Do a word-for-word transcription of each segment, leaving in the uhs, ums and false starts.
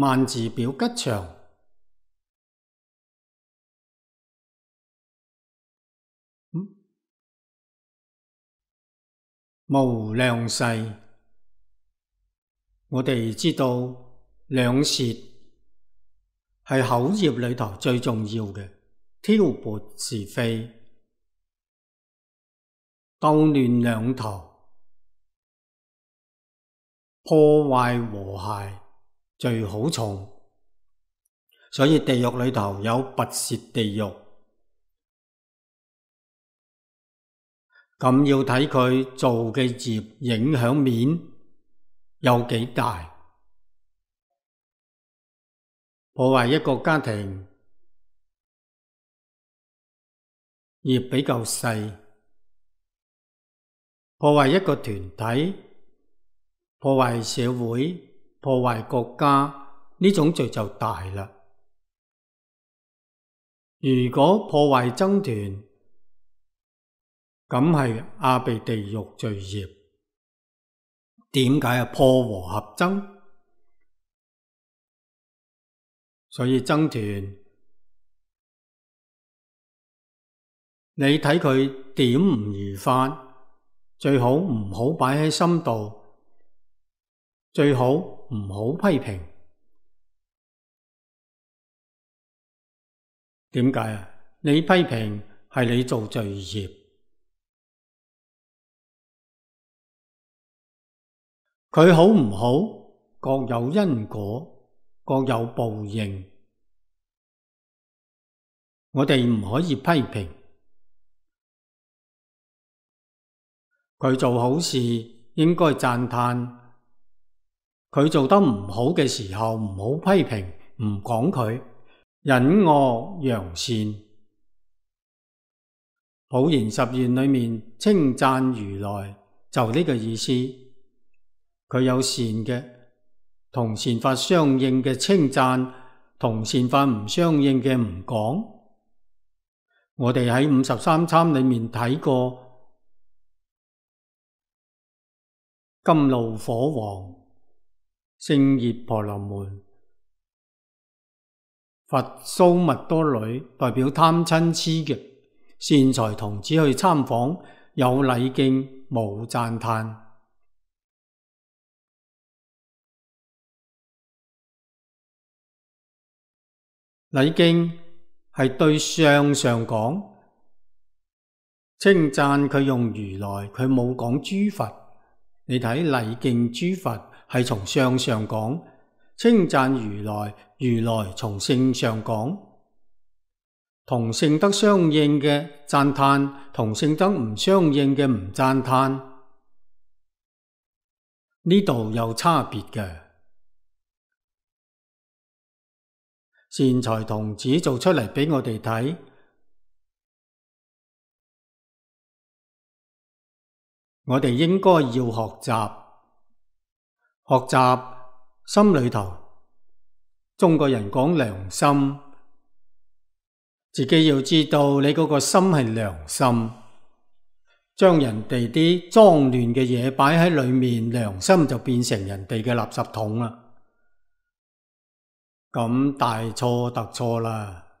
萬字表吉祥，無量世。我哋知道兩舌係口業裏頭最重要嘅，挑撥是非，鬥亂兩頭，破壞和諧最好重。所以地獄裏頭有拔舌地獄，咁要睇佢做嘅業影響面有幾大。破壞一個家庭，業比較細；破壞一個團體，破壞社會，破壞國家，呢種罪就大啦。如果破壞僧團，咁係阿鼻地獄罪業。點解啊？破和合僧。所以僧團，你睇佢點唔如法，最好唔好擺喺心度，最好唔好批評。點解啊？你批評係你做罪業，佢好唔好各有因果，各有報應。我哋唔可以批評佢做好事，應該讚歎佢做得唔好嘅時候，唔好批評，唔講佢，隱惡揚善。普賢十願裏面稱讚如來就呢個意思，佢有善嘅，同善法相應嘅稱讚，同善法唔相應嘅唔講。我哋喺五十三參裏面睇過，甘露火王、勝熱婆羅門、佛蘇密多女代表貪嗔癡嘅善財童子去參訪，有禮敬冇讚歎。禮敬係對相上講，稱讚佢用如來，佢冇講諸佛。你睇禮敬諸佛係從相上講，稱讚如來，如來從性上講。同性德相應嘅讚歎，同性德唔相應嘅唔讚歎，呢度有差別嘅。善財童子做出嚟俾我哋睇，我哋應該要學習，學習心裏頭。中國人講良心，自己要知道你嗰個心係良心，將人哋啲髒亂嘅嘢擺喺裏面，良心就變成人哋嘅垃圾桶啦。咁大錯特錯啦！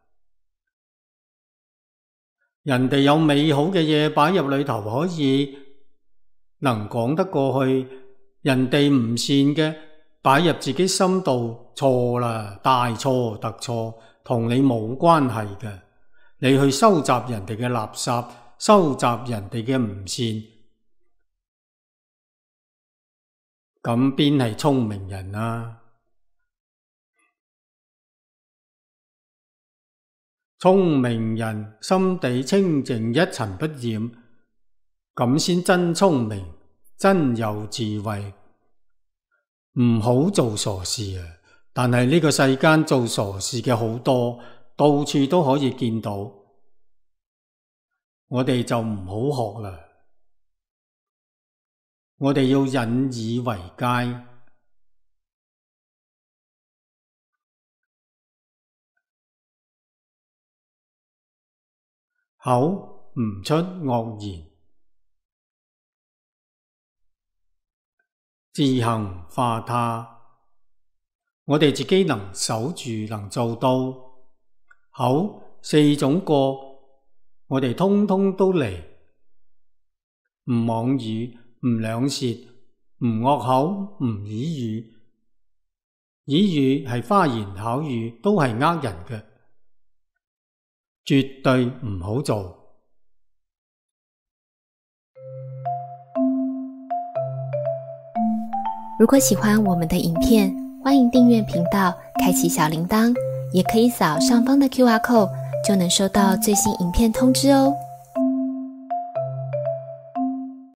人哋有美好嘅嘢擺入裏頭，可以能講得過去；人哋唔善嘅擺入自己心度，錯啦，大錯特錯，同你冇關係嘅。你去收集人哋嘅垃圾，收集人哋嘅唔善，咁邊係聰明人啊？聰明人心地清淨，一塵不染，咁先真聰明，真有智慧。唔好做傻事啊！但係呢個世間做傻事嘅好多，到處都可以見到，我哋就唔好學啦。我哋要引以為戒。口唔出惡言，自行化他。我哋自己能守住，能做到。口四種過，我哋通通都嚟。唔妄語，唔兩舌，唔惡口，唔綺語。綺語係花言巧語，都係呃人嘅，絕對唔好做。如果喜歡我們的影片，歡迎訂閱頻道，開啟小鈴鐺，也可以掃上方的 Q R code，就能收到最新影片通知哦。